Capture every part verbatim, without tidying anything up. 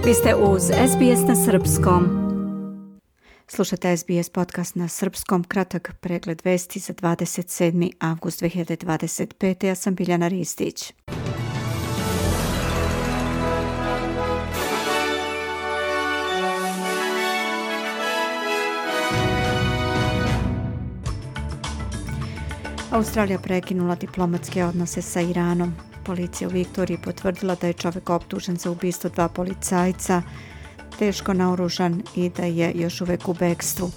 Vi ste uz S B S na srpskom. Slušate S B S podcast na srpskom, kratak pregled vesti za dvadeset sedmi avgust dve hiljade dvadeset pete. Ja sam Biljana Ristić. Australija prekinula diplomatske odnose sa Iranom. Policija u Viktoriji potvrdila da je čovjek optužen za ubistvo dva policajca, teško naoružan i da je još uvek u bekstvu.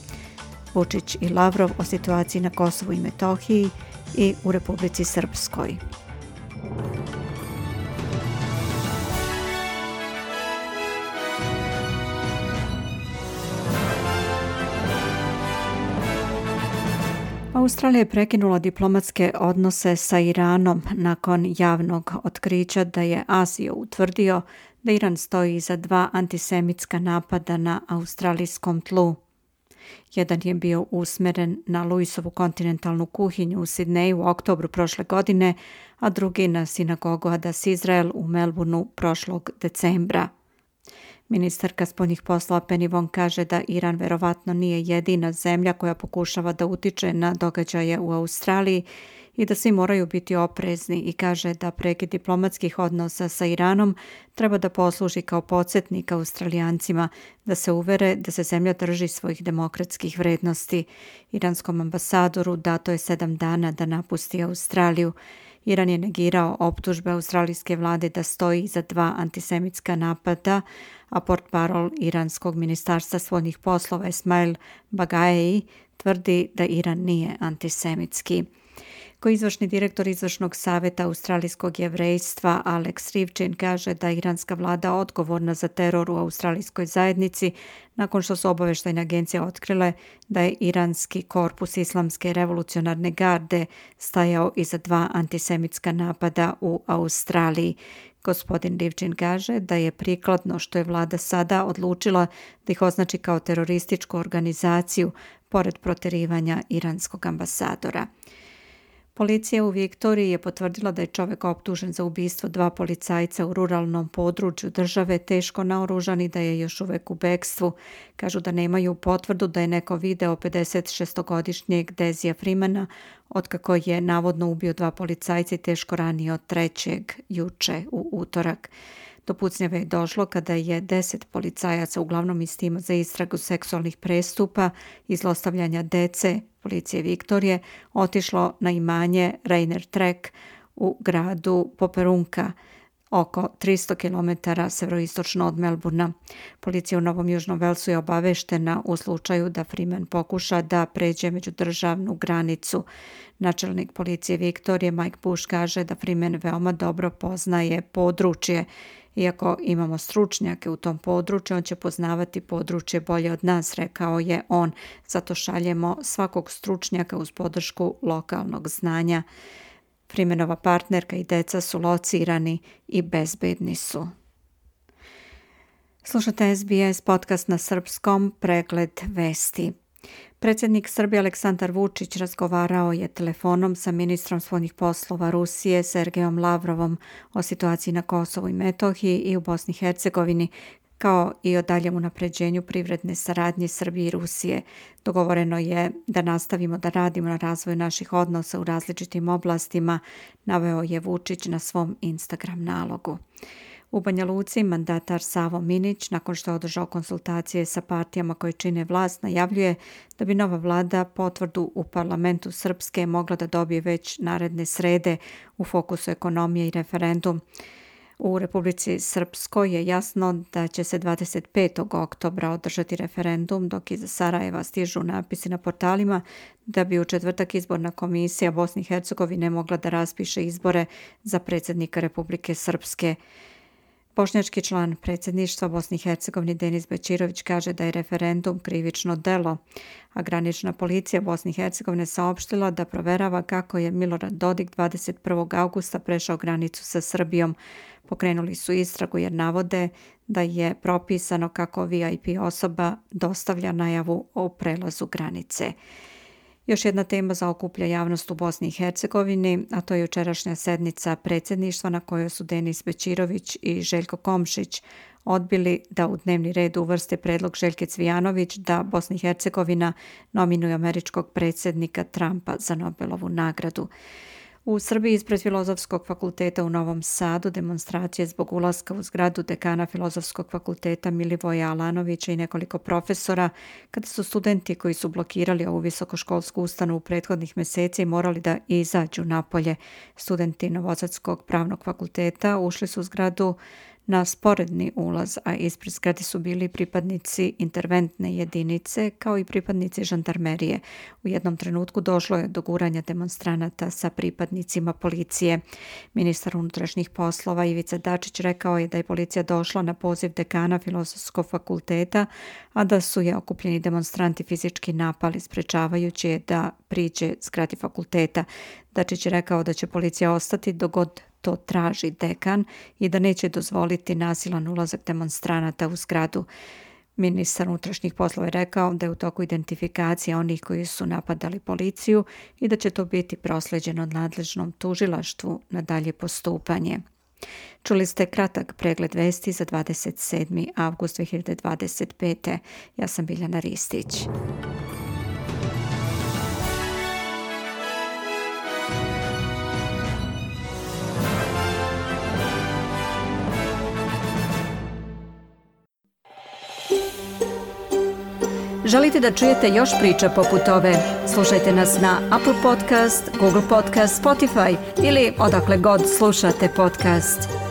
Vučić i Lavrov o situaciji na Kosovu i Metohiji i u Republici Srpskoj. Australija je prekinula diplomatske odnose sa Iranom nakon javnog otkrića da je ASIO utvrdio da Iran stoji iza dva antisemitska napada na australijskom tlu. Jedan je bio usmeren na Luisovu kontinentalnu kuhinju u Sidneju u oktobru prošle godine, a drugi na sinagogu Adas Izrael u Melbourneu prošlog decembra. Ministarka spoljnih poslova Penny Wong kaže da Iran verovatno nije jedina zemlja koja pokušava da utiče na događaje u Australiji i da svi moraju biti oprezni, i kaže da prekid diplomatskih odnosa sa Iranom treba da posluži kao podsjetnik Australijancima da se uvere da se zemlja drži svojih demokratskih vrednosti. Iranskom ambasadoru dato je sedam dana da napusti Australiju. Iran je negirao optužbe australijske vlade da stoji iza dva antisemitska napada, a portparol Iranskog ministarstva spoljnih poslova Esmail Bagaei tvrdi da Iran nije antisemitski. Ko izvršni direktor izvršnog savjeta australijskog jevrejstva Alex Rivchin kaže da je iranska vlada odgovorna za teror u australijskoj zajednici nakon što su obavještajne agencije otkrile da je iranski korpus Islamske revolucionarne garde stajao iza dva antisemitska napada u Australiji. Gospodin Rivchin kaže da je prikladno što je vlada sada odlučila da ih označi kao terorističku organizaciju pored proterivanja iranskog ambasadora. Policija u Viktoriji je potvrdila da je čovjek optužen za ubistvo dva policajca u ruralnom području države teško naoružan i da je još uvek u bekstvu. Kažu da nemaju potvrdu da je neko video pedesetšestogodišnjeg Dezija Freemana otkako je navodno ubio dva policajca i teško ranio trećeg juče u utorak. Do pucnjave je došlo kada je deset policajaca, uglavnom iz tima za istragu seksualnih prestupa i zlostavljanja dece policije Viktorije, otišlo na imanje Rainer Trek u gradu Poperunka, oko tristo kilometara severoistočno od Melbourna. Policija u Novom Južnom Velsu je obaveštena u slučaju da Freeman pokuša da pređe međudržavnu granicu. Načelnik policije Viktorije Mike Bush kaže da Freeman veoma dobro poznaje područje. Iako imamo stručnjake u tom području, on će poznavati područje bolje od nas, rekao je on. Zato šaljemo svakog stručnjaka uz podršku lokalnog znanja. Freemanova partnerka i deca su locirani i bezbedni su. Slušate S B S podcast na srpskom, pregled vesti. Predsjednik Srbije Aleksandar Vučić razgovarao je telefonom sa ministrom spoljnih poslova Rusije Sergejom Lavrovom o situaciji na Kosovu i Metohiji i u Bosni i Hercegovini, kao i o daljem unapređenju privredne saradnje Srbije i Rusije. Dogovoreno je da nastavimo da radimo na razvoju naših odnosa u različitim oblastima, naveo je Vučić na svom Instagram nalogu. U Banja Luci mandatar Savo Minić, nakon što je održao konsultacije sa partijama koje čine vlast, najavljuje da bi nova vlada potvrdu u parlamentu Srpske mogla da dobije već naredne srede. U fokusu ekonomije i referendum. U Republici Srpskoj je jasno da će se dvadeset petog oktobra održati referendum, dok iz Sarajeva stižu napisi na portalima da bi u četvrtak izborna komisija Bosne i Hercegovine mogla da raspiše izbore za predsjednika Republike Srpske. Bošnjački član predsjedništva Bosne i Hercegovine Denis Bećirović kaže da je referendum krivično delo, a granična policija Bosne i Hercegovine saopštila da proverava kako je Milorad Dodik dvadeset prvog avgusta prešao granicu sa Srbijom. Pokrenuli su istragu jer navode da je propisano kako V I P osoba dostavlja najavu o prelazu granice. Još jedna tema zaokuplja javnost u Bosni i Hercegovini, a to je jučerašnja sednica predsjedništva na kojoj su Denis Bećirović i Željko Komšić odbili da u dnevni red uvrste predlog Željke Cvijanović da Bosna i Hercegovina nominuje američkog predsjednika Trumpa za Nobelovu nagradu. U Srbiji ispred Filozofskog fakulteta u Novom Sadu demonstracije zbog ulaska u zgradu dekana Filozofskog fakulteta Milivoja Alanovića i nekoliko profesora, kada su studenti koji su blokirali ovu visokoškolsku ustanovu prethodnih mjeseci morali da izađu napolje. Studenti Novosadskog pravnog fakulteta ušli su u zgradu na sporedni ulaz, a ispred zgrade su bili pripadnici interventne jedinice kao i pripadnici žandarmerije. U jednom trenutku došlo je do guranja demonstranata sa pripadnicima policije. Ministar unutrašnjih poslova Ivica Dačić rekao je da je policija došla na poziv dekana Filozofskog fakulteta, a da su je okupljeni demonstranti fizički napali, sprečavajući je da priđe zgradi fakulteta. Dačić je rekao da će policija ostati dok god to traži dekan i da neće dozvoliti nasilan ulazak demonstranata u zgradu. Ministar unutrašnjih poslova je rekao da je u toku identifikacija onih koji su napadali policiju i da će to biti proslijeđeno nadležnom tužilaštvu na dalje postupanje. Čuli ste kratak pregled vesti za dvadeset sedmi avgust dve hiljade dvadeset pete. Ja sam Biljana Ristić. Želite da čujete još priča poput ove? Slušajte nas na Apple Podcast, Google Podcast, Spotify ili odakle god slušate podcast.